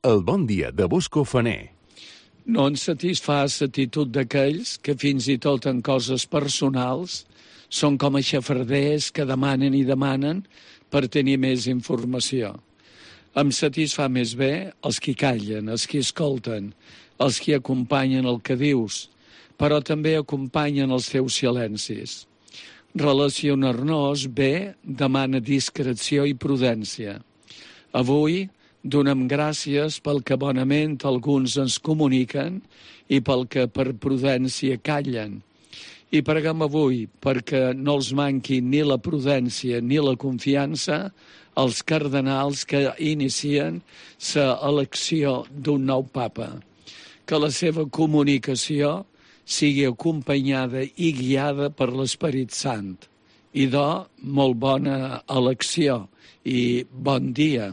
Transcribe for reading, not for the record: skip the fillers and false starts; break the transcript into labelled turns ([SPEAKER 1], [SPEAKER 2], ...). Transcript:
[SPEAKER 1] El bon dia de Bosco Faner.
[SPEAKER 2] No ens satisfà l'actitud d'aquells que fins i tot en coses personals són com a xafarders que demanen i demanen per tenir més informació. Em satisfà més bé els qui callen, els qui escolten, els qui acompanyen el que dius, però també acompanyen els teus silencis. Relacionar-nos bé demana discreció i prudència. Avui donem gràcies pel que bonament alguns ens comuniquen i pel que per prudència callen. I preguem avui perquè no els manqui ni la prudència ni la confiança als cardenals que inicien l'elecció d'un nou papa. Que la seva comunicació sigui acompanyada i guiada per l'Esperit Sant. Idò, molt bona elecció i bon dia.